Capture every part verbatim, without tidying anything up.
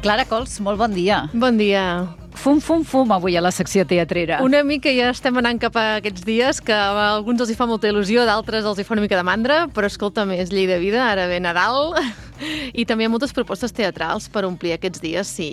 Clara Cols, molt bon dia. Bon dia. Fum, fum, fum, avui a la secció teatrera. Una mica ja estem anant cap a aquests dies, que a alguns els hi fa molta il·lusió, d'altres els hi fa una mica de mandra, però escolta'm, és llei de vida, ara ve Nadal, i també hi ha moltes propostes teatrals per omplir aquests dies, si...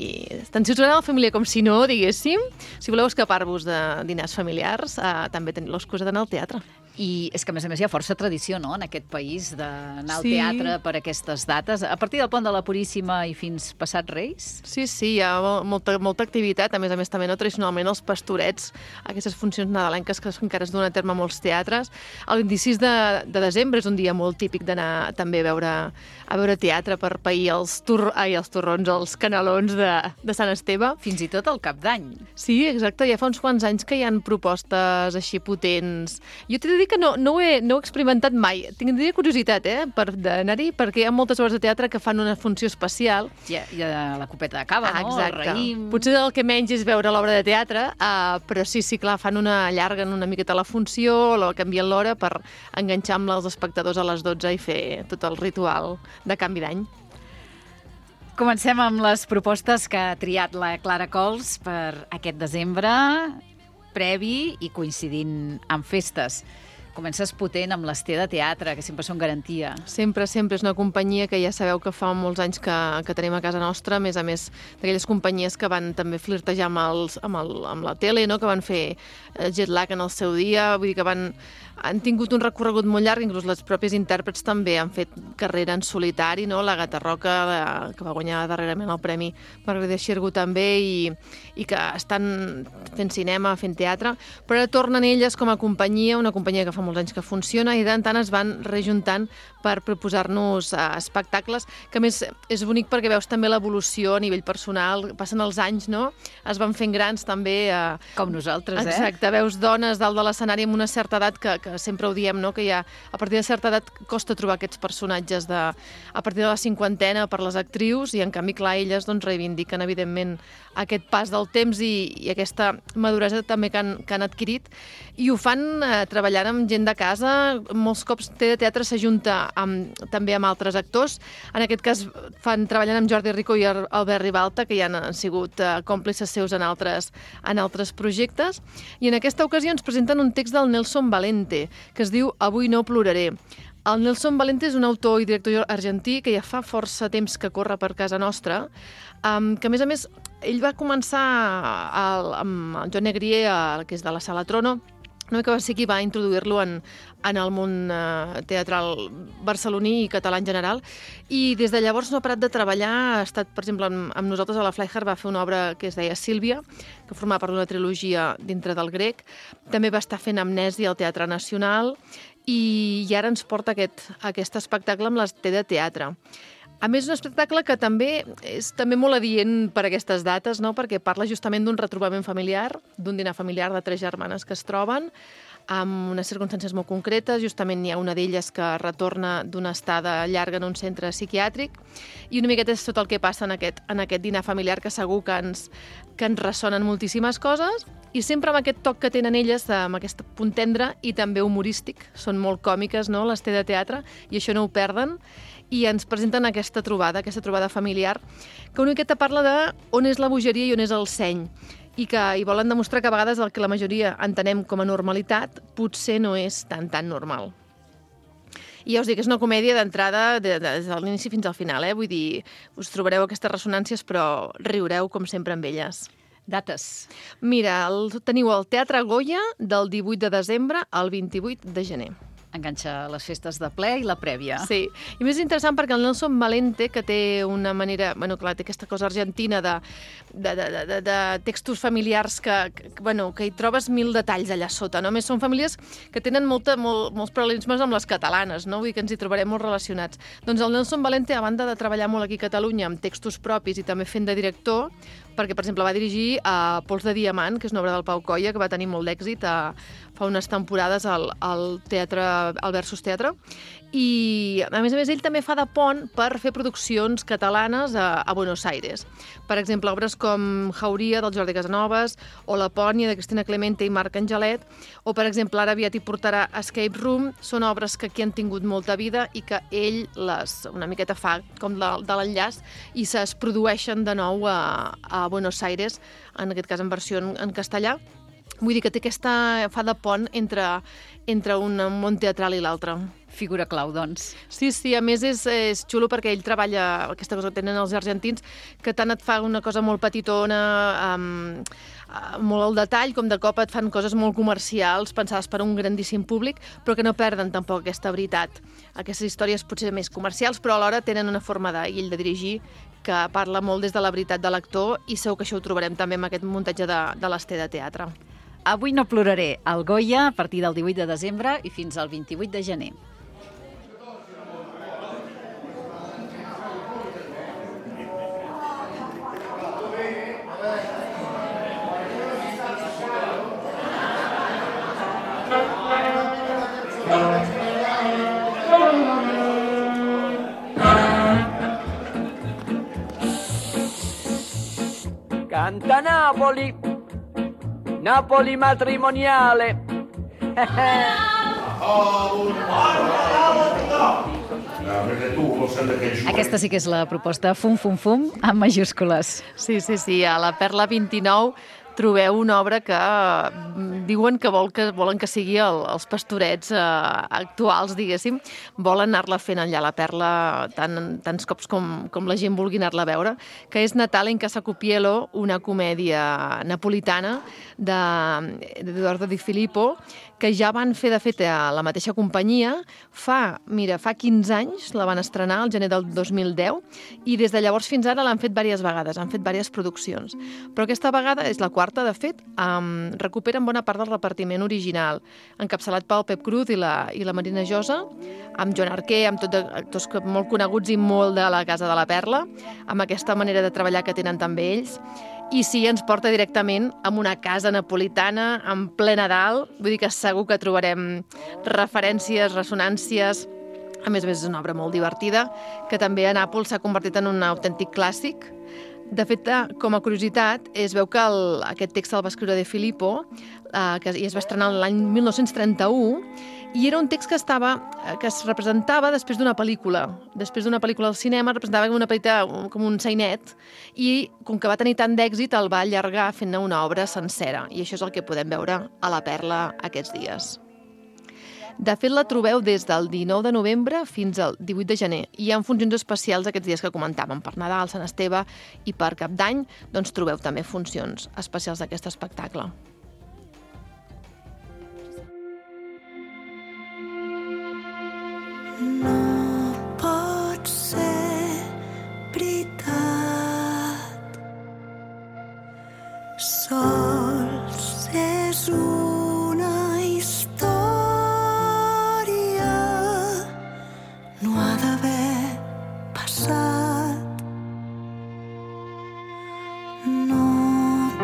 tant si us agrada la família com si no, diguéssim. Si voleu escapar-vos de dinars familiars, eh, també teniu l'excusa d'anar al teatre. I és que, a més a més, hi ha força tradició, no?, en aquest país, d'anar al Sí. teatre per aquestes dates. A partir del Pont de la Puríssima i fins passat Reis? Sí, sí, hi ha molta, molta activitat, a més a més també no tradicionalment els pastorets, aquestes funcions nadalenques que encara es duen a terme a molts teatres. El vint-i-sis de, de desembre és un dia molt típic d'anar també a veure, a veure teatre per pair els, tur, ai, els torrons, els canelons de, de Sant Esteve. Fins i tot el Cap d'Any. Sí, exacte, ja fa uns quants anys que hi ha propostes així potents. Jo t'he de dir que no, no, ho he, no ho he experimentat mai. Tindria curiositat, eh, per d'anar-hi, perquè hi ha moltes obres de teatre que fan una funció especial. Hi ha, hi ha la copeta de cava, Ah, no? exacte. El raïm... Potser el que menys és veure l'obra de teatre, uh, però sí, sí, clar, fan una, allarguen una miqueta la funció, la canvien l'hora per enganxar amb els espectadors a les dotze i fer tot el ritual de canvi d'any. Comencem amb les propostes que ha triat la Clara Cols per aquest desembre, previ i coincidint amb festes. Comences potent amb l'Esté de Teatre, que sempre són garantia. Sempre, sempre. És una companyia que ja sabeu que fa molts anys que, que tenim a casa nostra, a més a més d'aquelles companyies que van també flirtejar amb, els, amb, el, amb la tele, no? Que van fer Jet Lag en el seu dia, vull dir que van, han tingut un recorregut molt llarg, inclús les pròpies intèrprets també han fet carrera en solitari, no? La Gata Roca, la, que va guanyar darrerament el Premi Margarida Xirgu també, i, i que estan fent cinema, fent teatre, però ara tornen elles com a companyia, una companyia que fa molts anys que funciona, i d'en tant es van rejuntant per proposar-nos uh, espectacles, que a més és bonic perquè veus també l'evolució a nivell personal, passen els anys, no? Es van fent grans també. Uh, Com nosaltres, eh? Exacte, veus dones dalt de l'escenari amb una certa edat que, que sempre ho diem, no? Que ja a partir de certa edat costa trobar aquests personatges de, a partir de la cinquantena per les actrius, i en canvi, clar, elles doncs, reivindiquen evidentment aquest pas del temps i, i aquesta maduresa també que han, que han adquirit, i ho fan eh, treballant amb gent de casa. Molts cops Té de Teatre s'ajunta amb, també amb altres actors. En aquest cas fan treballant amb Jordi Rico i Albert Ribalta, que ja han sigut eh, còmplices seus en altres, en altres projectes, i en aquesta ocasió ens presenten un text del Nelson Valente, que es diu Avui no ploraré. El Nelson Valente és un autor i director argentí que ja fa força temps que corre per casa nostra, um, que a més a més ell va començar el, amb el Joan Negrier, el, que és de la Sala Trono, una mica va ser qui va introduir-lo en, en el món eh, teatral barceloní i català en general, i des de llavors no ha parat de treballar. Ha estat, per exemple, amb, amb nosaltres a la Flyhard va fer una obra que es deia Sílvia, que formava part d'una trilogia dintre del grec. També va estar fent Amnèsia al Teatre Nacional, i, i ara ens porta aquest, aquest espectacle amb l'Esté de Teatre. A més, un espectacle que també és també molt adient per aquestes dates, no? Perquè parla justament d'un retrobament familiar, d'un dinar familiar de tres germanes que es troben, amb unes circumstàncies molt concretes. Justament hi ha una d'elles que retorna d'una estada llarga en un centre psiquiàtric, i una miqueta és tot el que passa en aquest, en aquest dinar familiar, que segur que ens, que ens ressonen moltíssimes coses, i sempre amb aquest toc que tenen elles, amb aquest punt tendre i també humorístic. Són molt còmiques, no?, l'Esté de Teatre, i això no ho perden, i ens presenten aquesta trobada, aquesta trobada familiar, que una miqueta parla de on és la bogeria i on és el seny, i que hi volen demostrar que a vegades el que la majoria entenem com a normalitat potser no és tan, tan normal. I ja us dic, és una comèdia d'entrada de, de, des de l'inici fins al final, eh? Vull dir, us trobareu aquestes ressonàncies, però riureu com sempre amb elles. Dates. Mira, el, teniu el Teatre Goya del divuit de desembre al vint-i-vuit de gener. Enganxa les festes de ple i la prèvia. Sí, i més interessant perquè el Nelson Valente, que té una manera, bueno, clar, té aquesta cosa argentina de, de, de, de, de textos familiars que, que, bueno, que hi trobes mil detalls allà sota, no? A més, són famílies que tenen molta, molt, molts paral·lelismes amb les catalanes, no? Vull dir que ens hi trobarem molt relacionats. Doncs el Nelson Valente, a banda de treballar molt aquí a Catalunya amb textos propis i també fent de director, perquè, per exemple, va dirigir a Pols de Diamant, que és una obra del Pau Coia, que va tenir molt d'èxit a, fa unes temporades al, al teatre, al Versus Teatre, i a més a més ell també fa de pont per fer produccions catalanes a, a Buenos Aires. Per exemple, obres com Jauria, del Jordi Casanovas, o La Pònia, de Cristina Clemente i Marc Angelet, o, per exemple, ara aviat hi portarà Escape Room. Són obres que aquí han tingut molta vida i que ell les una miqueta fa com de, de l'enllaç i es produeixen de nou a, a Buenos Aires, en aquest cas en versió en, en castellà. Vull dir que té aquesta, fa de pont entre, entre un món teatral i l'altre. Figura clau, doncs. Sí, sí, a més és, és xulo perquè ell treballa, aquesta cosa que tenen els argentins, que tant et fa una cosa molt petitona, um, molt al detall, com de cop et fan coses molt comercials, pensades per a un grandíssim públic, però que no perden tampoc aquesta veritat. Aquestes històries potser més comercials, però alhora tenen una forma d'ell de dirigir que parla molt des de la veritat de l'actor, i segur que això ho trobarem també amb aquest muntatge de, de l'Ester de teatre. Avui no ploraré, al Goya, a partir del divuit de desembre i fins al vint-i-vuit de gener. Canta Napoli, Napoli matrimoniale. Aquesta sí que és la proposta Fum Fum Fum amb majúscules. Sí, sí, sí, a la Perla vint-i-nou trobeu una obra que diuen que, vol que volen que sigui el, els pastorets eh, actuals, diguéssim, volen anar-la fent allà a la Perla tant, tants cops com, com la gent vulgui anar-la a veure, que és Natale in Casa Cupiello, una comèdia napolitana d'Edoardo Di Filippo, que ja van fer, de fet, a la mateixa companyia. Fa, mira, fa quinze anys la van estrenar, al gener del dos mil deu, i des de llavors fins ara l'han fet diverses vegades, han fet diverses produccions. Però aquesta vegada és la quarta, de fet, um, recuperen bona part del repartiment original, encapçalat pel Pep Cruz i la, i la Marina Josa, amb Joan Arquer, amb tots actors molt coneguts i molt de la Casa de la Perla, amb aquesta manera de treballar que tenen també ells. I sí, ens porta directament a una casa napolitana en ple Nadal. Vull dir que segur que trobarem referències, ressonàncies. A més a més, és una obra molt divertida, que també a Nàpols s'ha convertit en un autèntic clàssic. De fet, com a curiositat, es veu que el, aquest text el va escriure De Filippo, eh, que es va estrenar l'any mil nou-cents trenta-u, i era un text que estava que es representava després d'una pel·lícula. Després d'una pel·lícula al cinema, representava com una petita, com un sainet, i com que va tenir tant d'èxit, el va allargar fent-ne una obra sencera. I això és el que podem veure a la Perla aquests dies. De fet, la trobeu des del dinou de novembre fins al divuit de gener. I hi ha funcions especials aquests dies que comentàvem. Per Nadal, Sant Esteve i per Cap d'Any, doncs trobeu també funcions especials d'aquest espectacle. No pot ser veritat, sols és una història, no ha d'haver passat. No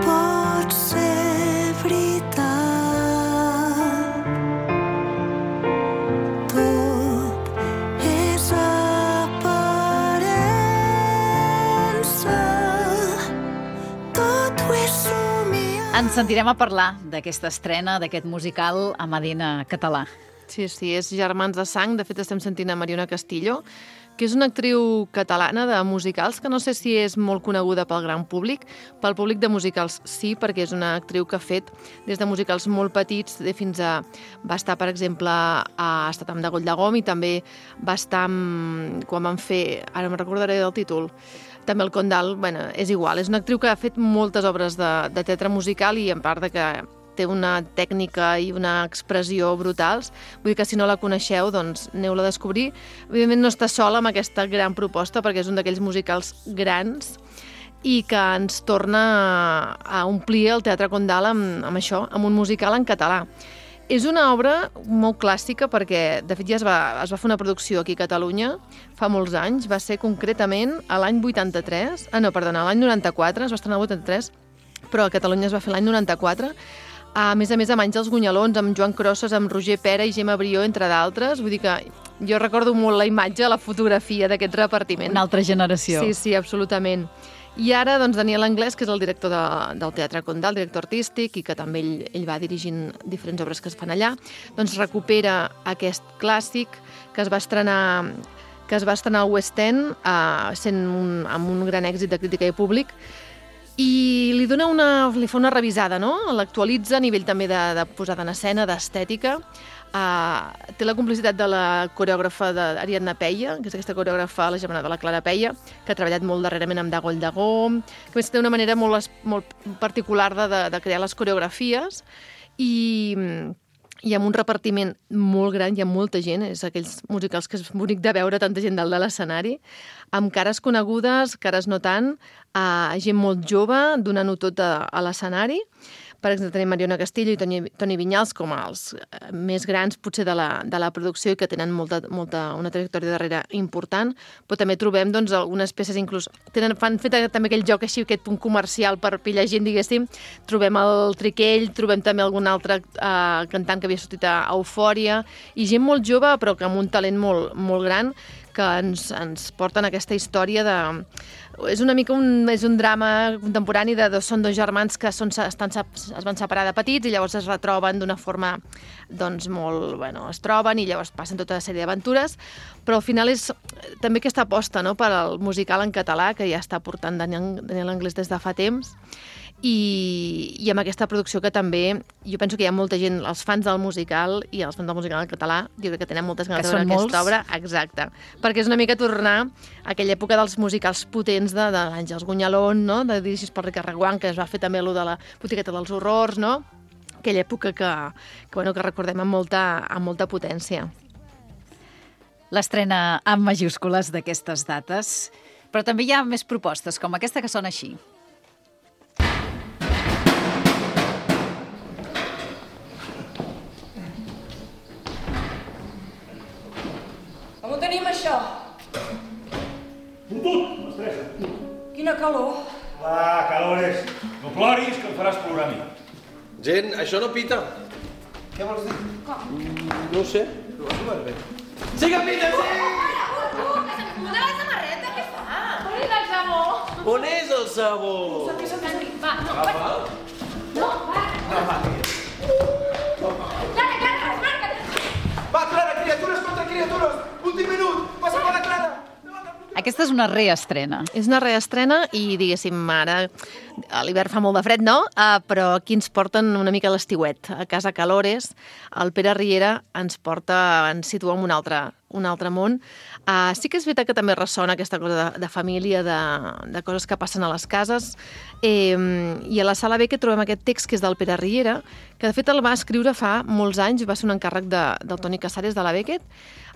pot ser veritat, ens sentirem a parlar d'aquesta estrena, d'aquest musical a Medina català. Sí, sí, és Germans de sang. De fet, estem sentint a Mariona Castillo, que és una actriu catalana de musicals, que no sé si és molt coneguda pel gran públic. Pel públic de musicals sí, perquè és una actriu que ha fet des de musicals molt petits fins a... Va estar, per exemple, ha estat amb Degoll de Gom i també va estar amb... quan van fer... Ara me'n recordaré del títol. També el Condal, bueno, és igual. És una actriu que ha fet moltes obres de, de teatre musical i en part de que té una tècnica i una expressió brutals. Vull dir que si no la coneixeu, doncs aneu-la a descobrir. Evidentment no està sola amb aquesta gran proposta perquè és un d'aquells musicals grans i que ens torna a omplir el Teatre Condal amb, amb això, amb un musical en català. És una obra molt clàssica perquè, de fet, ja es va, es va fer una producció aquí a Catalunya fa molts anys. Va ser concretament a l'any vuitanta-tres, ah, no, perdona, a l'any noranta-quatre, es va estrenar el vuitanta-tres, però a Catalunya es va fer l'any noranta-quatre. A més a més, amb Àngels Gunyalons, amb Joan Crosses, amb Roger Pera i Gemma Brió, entre d'altres. Vull dir que jo recordo molt la imatge, la fotografia d'aquest repartiment. Una altra generació. Sí, sí, absolutament. I ara, doncs, Daniel Anglès, que és el director de, del Teatre Condal, el director artístic, i que també ell, ell va dirigint diferents obres que es fan allà, doncs recupera aquest clàssic que es va estrenar, que es va estrenar al West End, eh, sent un, amb un gran èxit de crítica i públic, i li dona una, li fa una revisada, no? L'actualitza a nivell també de, de posada en escena, d'estètica. Uh, té la complicitat de la coreògrafa d'Ariadna Peia, que és aquesta coreògrafa, la germana de la Clara Peia, que ha treballat molt darrerament amb Dagoll Dagó, que més té una manera molt, molt particular de, de, de crear les coreografies, i, i amb un repartiment molt gran, hi ha molta gent, és aquells musicals que és bonic de veure tanta gent dalt de l'escenari, amb cares conegudes, cares no tant, uh, gent molt jove, donant-ho tot a, a l'escenari. Per exemple, tenim Mariona Castillo i Toni, Toni Vinyals com els més grans, potser, de la, de la producció i que tenen molta, molta, una trajectòria darrere important, però també trobem doncs, algunes peces, inclús tenen, fan fet també aquell joc així, aquest punt comercial per pillar gent, diguéssim. Trobem el Triquell, trobem també algun altre eh, cantant que havia sortit a Eufòria, i gent molt jove, però que amb un talent molt, molt gran, que ens, ens porten aquesta història de... És una mica un, és un drama contemporani de dos, són dos germans que són, estan, es van separar de petits i llavors es retroben d'una forma doncs molt... Bueno, es troben i llavors passen tota una sèrie d'aventures, però al final és també aquesta aposta, no?, per al musical en català que ja està portant Daniel, Daniel Anglès des de fa temps, i, i amb aquesta producció que també, jo penso que hi ha molta gent, els fans del musical i els fans del musical en català, jo crec que tenen moltes ganes de veure aquesta obra. Exacte, perquè és una mica tornar a aquella època dels musicals potents de, de l'Àngels Gunyalón, no?, de dirigits per Ricard Reguant, que es va fer també allò de la Botigueta dels Horrors, no?, aquella època que, que, bueno, que recordem amb molta, amb molta potència. L'estrena amb majúscules d'aquestes dates, però també hi ha més propostes, com aquesta que sona així. Com ho tenim, això? Fotut, mestressa. Quina calor. Va, calores. No ploris, que em faràs plorar a mi. Gent, això no pita. Què vols dir? Com? No ho sé. Però vas jugar bé. Sí que pita, sí! Una la samarreta, què fa? On és el sabó? On és el sabó? Va, no, va. No, va. No, va, Clara, Clara, remarca't. va, Clara, criatures contra criatures. Últim minut, passa per la Clara. Aquesta és una reestrena. És una reestrena i, diguéssim, ara a l'hivern fa molt de fred, no? Uh, però aquí ens porten una mica l'estiuet. A Casa Calores, el Pere Riera ens porta, ens situa en un altre, un altre món. Uh, sí que és veritat que també ressona aquesta cosa de, de família, de, de coses que passen a les cases. Eh, I a la Sala B que trobem aquest text que és del Pere Riera, que de fet el va escriure fa molts anys, va ser un encàrrec de, del Toni Casares de la Beckett.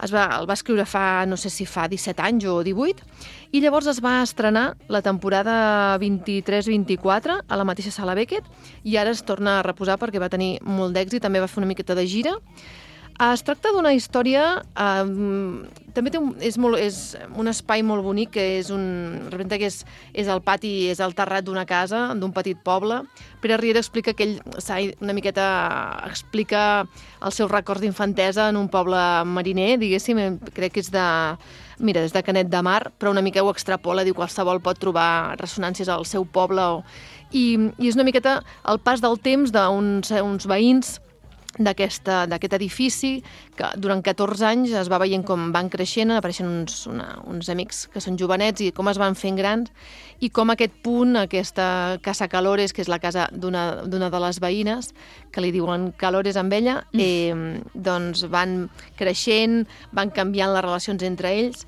Es va, el va escriure fa, no sé si fa disset anys o divuit, i llavors es va estrenar la temporada vint-i-tres vint-i-quatre a la mateixa Sala Beckett, i ara es torna a reposar perquè va tenir molt d'èxit, també va fer una miqueta de gira. Es tracta d'una història, eh, també té un, és, molt, és un espai molt bonic, que és un, representa que és, és el pati, és el terrat d'una casa, d'un petit poble. Pere Riera explica que ell una miqueta explica els seus records d'infantesa en un poble mariner, diguéssim, crec que és de, mira, des de Canet de Mar, però una mica ho extrapola, diu que qualsevol pot trobar ressonàncies al seu poble. O, i, i és una miqueta el pas del temps d'uns uns veïns d'aquest edifici, que durant catorze anys es va veient com van creixent, apareixen uns, una, uns amics que són jovenets i com es van fent grans, i com aquest punt, aquesta Casa Calores, que és la casa d'una de les veïnes, que li diuen Calores amb ella, eh, doncs van creixent, van canviant les relacions entre ells.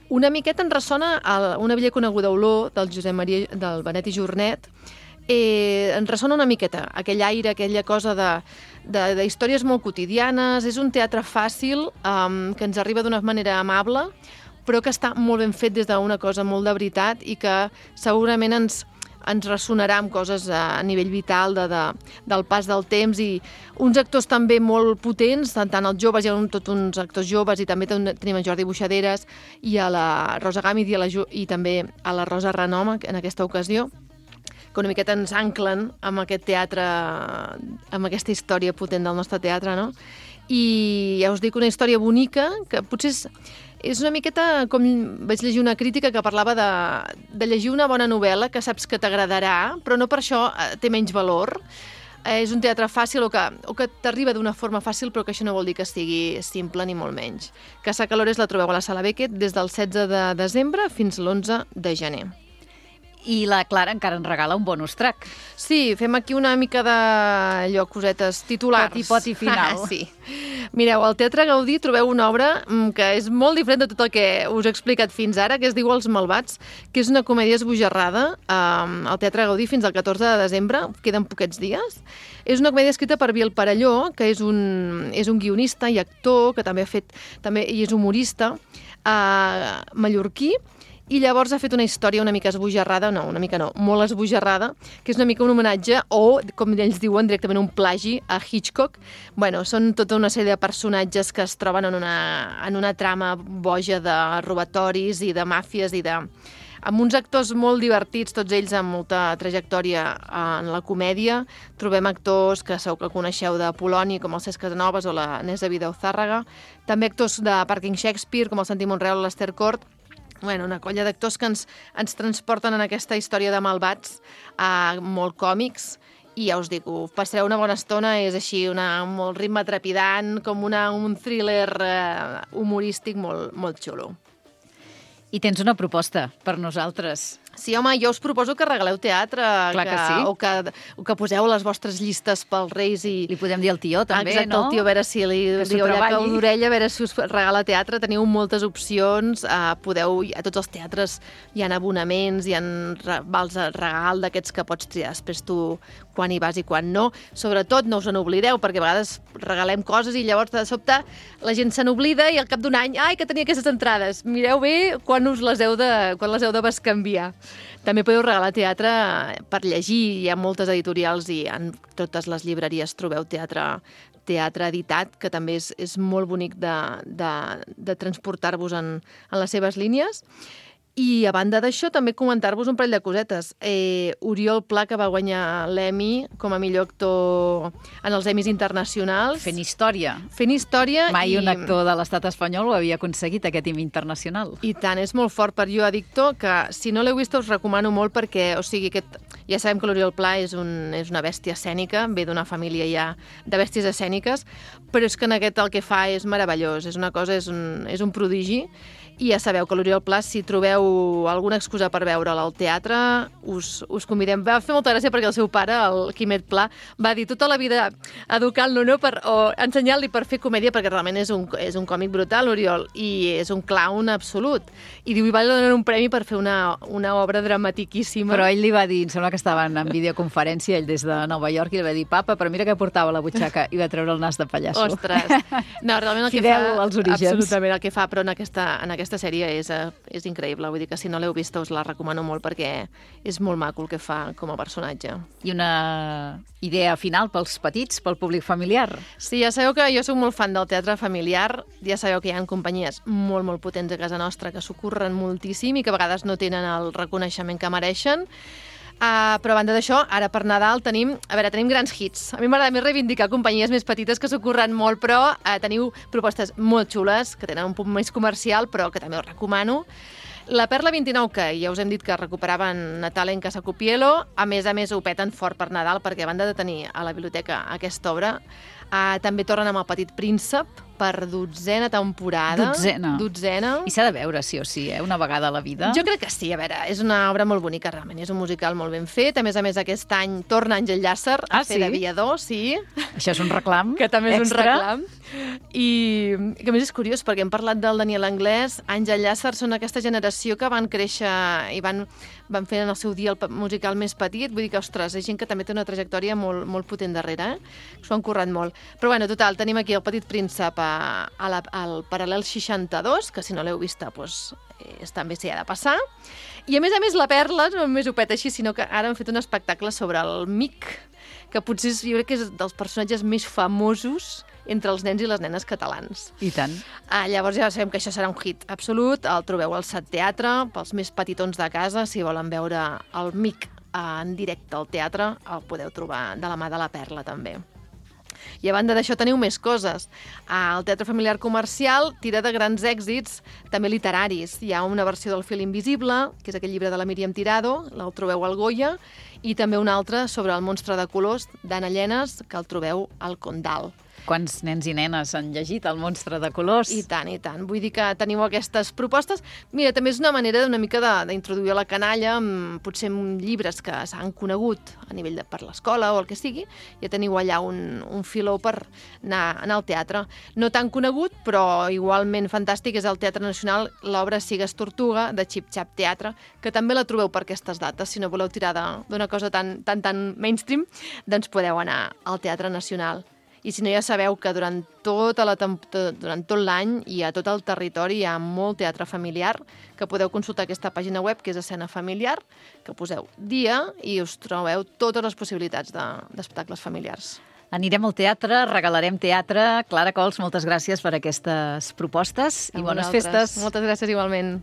Una miqueta en ressona a una vella coneguda olor del Josep Maria, del Benet i Jornet. Eh, ens ressona una miqueta aquell aire, aquella cosa de, de, de històries molt quotidianes. És un teatre fàcil, um, que ens arriba d'una manera amable, però que està molt ben fet des d'una cosa molt de veritat i que segurament ens, ens ressonarà amb coses a nivell vital de, de, del pas del temps i uns actors també molt potents, tant, tant els joves, hi ha un, tot uns actors joves i també tenim en Jordi Buixaderes i a la Rosa Gàmid i, a la, i també a la Rosa Renom en aquesta ocasió, que una miqueta ens anclen amb aquest teatre, amb aquesta història potent del nostre teatre, no? I ja us dic, una història bonica, que potser és, és una miqueta com vaig llegir una crítica que parlava de, de llegir una bona novel·la que saps que t'agradarà, però no per això té menys valor. Eh, és un teatre fàcil o que, o que t'arriba d'una forma fàcil, però que això no vol dir que sigui simple ni molt menys. Casa Calores la trobeu a la Sala Beckett des del setze de desembre fins l'onze de gener. I la Clara encara ens regala un bonus track. Sí, fem aquí una mica d'allò, cosetes titulars. Poti, poti final. Ah, sí. Mireu, al Teatre Gaudí trobeu una obra que és molt diferent de tot el que us he explicat fins ara, que es diu Els Malvats, que és una comèdia esbojarrada um, al Teatre Gaudí fins al catorze de desembre, queden poquets dies. És una comèdia escrita per Biel Parelló, que és un, és un guionista i actor, que també ha fet, també, i és humorista, uh, mallorquí, i llavors ha fet una història una mica esbojarrada, no, una mica no, molt esbojarrada, que és una mica un homenatge o, com ells diuen, directament un plagi a Hitchcock. Bueno, són tota una sèrie de personatges que es troben en una, en una trama boja de robatoris i de màfies i de... amb uns actors molt divertits, tots ells amb molta trajectòria en la comèdia. Trobem actors que segur que coneixeu de Poloni, com el Cesc Casanovas o la Nesa Vidauzárraga. També actors de Parking Shakespeare, com el Santi Monreal o l'Ester Cort. Bueno, una colla d'actors que ens, ens transporten en aquesta història de malvats, eh, molt còmics, i ja us dic, passareu una bona estona, és així, una, molt ritme trepidant, com una, un thriller eh, humorístic molt, molt xulo. I tens una proposta per nosaltres. Sí, home, jo us proposo que regaleu teatre, Clar que, que sí. o, que, o que poseu les vostres llistes pels Reis i... Li podem dir al tió, també, Exacte, no? Exacte, el tió, a veure si li Que s'ho diu allà treballi. cau d'orella, a veure si us regala teatre. Teniu moltes opcions, eh, podeu... A tots els teatres hi ha abonaments, hi ha vals de regal d'aquests que pots triar després tu quan hi vas i quan no. Sobretot, no us n'oblideu, perquè a vegades regalem coses i llavors de sobte la gent se n'oblida i al cap d'un any, ai, que tenia aquestes entrades. Mireu bé quan us les heu de, quan les heu de bescanviar. També podeu regalar teatre per llegir, hi ha moltes editorials i en totes les llibreries trobeu teatre, teatre editat, que també és, és molt bonic de, de, de transportar-vos en, en les seves línies. I a banda d'això, també comentar-vos un parell de cosetes. Eh, Oriol Pla, que va guanyar l'Emmy com a millor actor en els Emmys internacionals. Fent història. Fent història. Mai i... un actor de l'estat espanyol ho havia aconseguit, aquest Emmy internacional. I tant, és molt fort per Jo Addicto, que si no l'heu vist us recomano molt perquè, o sigui, aquest... ja sabem que l'Oriol Pla és, un, és una bèstia escènica, ve d'una família ja de bèsties escèniques, però és que en aquest el que fa és meravellós, és una cosa, és un, és un prodigi. I ja sabeu que l'Oriol Pla, si trobeu alguna excusa per veure'l al teatre, us, us convidem. Va fer molta gràcia perquè el seu pare, el Quimet Pla, va dir tota la vida educant-lo, no? Per, o ensenyant-li per fer comèdia, perquè realment és un, és un còmic brutal, l'Oriol, i és un clown absolut. I diu, i va donar un premi per fer una, una obra dramatiquíssima. Però ell li va dir, em sembla que estaven en videoconferència, ell des de Nova York, i li va dir, papa, però mira què portava a la butxaca, i va treure el nas de pallasso. Ostres! No, realment el Fidel que fa... als orígens. Absolutament, el que fa, però en aquesta, en aquesta Aquesta sèrie és, és increïble, vull dir que si no l'heu vista us la recomano molt perquè és molt maco el que fa com a personatge. I una idea final pels petits, pel públic familiar? Sí, ja sabeu que jo soc molt fan del teatre familiar, ja sabeu que hi ha companyies molt, molt potents a casa nostra que s'ho curren moltíssim i que a vegades no tenen el reconeixement que mereixen. Uh, però a banda d'això, ara per Nadal tenim, a veure, tenim grans hits. A mi m'agrada més reivindicar companyies més petites que s'ho curren molt, però uh, teniu propostes molt xules, que tenen un punt més comercial, però que també us recomano. La Perla vint-i-nou, que ja us hem dit que recuperaven Natal en Casa Copielo, a més a més ho peten fort per Nadal, perquè a banda de tenir a la biblioteca aquesta obra, uh, també tornen amb El Petit Príncep, per dotzena temporada. Dotzena. Dotzena. I s'ha de veure, sí o sí, eh? Una vegada a la vida. Jo crec que sí, a veure, és una obra molt bonica, realment, és un musical molt ben fet. A més a més, aquest any torna Àngel Llàcer a ah, fer sí? d'aviador, sí. Això és un reclam Que també és extra. un reclam. I que a més és curiós, perquè hem parlat del Daniel Anglès, Àngel Llàcer són aquesta generació que van créixer i van, van fer en el seu dia el musical més petit. Vull dir que, ostres, és gent que també té una trajectòria molt, molt potent darrere, eh? S'ho han currat molt. Però bueno, total, tenim aquí El Petit Príncep a, a la, al Paral·lel seixanta-dos, que si no l'heu vista, doncs, eh, també s'hi ha de passar. I a més a més la Perla no només ho peta així, sinó que ara han fet un espectacle sobre el Mic, que potser és, jo crec que és dels personatges més famosos entre els nens i les nenes catalans. I tant. Ah, llavors ja sabem que això serà un hit absolut. El trobeu al Sat Teatre, pels més petitons de casa, si volen veure el Mic en directe al teatre, el podeu trobar de la mà de la Perla, també. I a banda d'això teniu més coses. El Teatre Familiar Comercial tira de grans èxits, també literaris. Hi ha una versió del Fil Invisible, que és aquell llibre de la Míriam Tirado, el trobeu al Goya, i també un altre sobre el monstre de colors d'Anna Llenes, que el trobeu al Condal. Quants nens i nenes han llegit El monstre de colors? I tant, i tant. Vull dir que teniu aquestes propostes. Mira, també és una manera una mica d'introduir a la canalla, amb, potser amb llibres que s'han conegut a nivell de per l'escola o el que sigui. Ja teniu allà un, un filó per anar, anar al teatre. No tan conegut, però igualment fantàstic, és el Teatre Nacional, l'obra Sigues Tortuga, de Xip Xap Teatre, que també la trobeu per aquestes dates. Si no voleu tirar d'una cosa tan, tan, tan mainstream, doncs podeu anar al Teatre Nacional. I si no, ja sabeu que durant, tota la durant tot l'any i a tot el territori hi ha molt teatre familiar, que podeu consultar aquesta pàgina web, que és Escena Familiar, que poseu dia i us trobeu totes les possibilitats d'espectacles familiars. Anirem al teatre, regalarem teatre. Clara Cols, moltes gràcies per aquestes propostes i bones festes. Moltes gràcies igualment.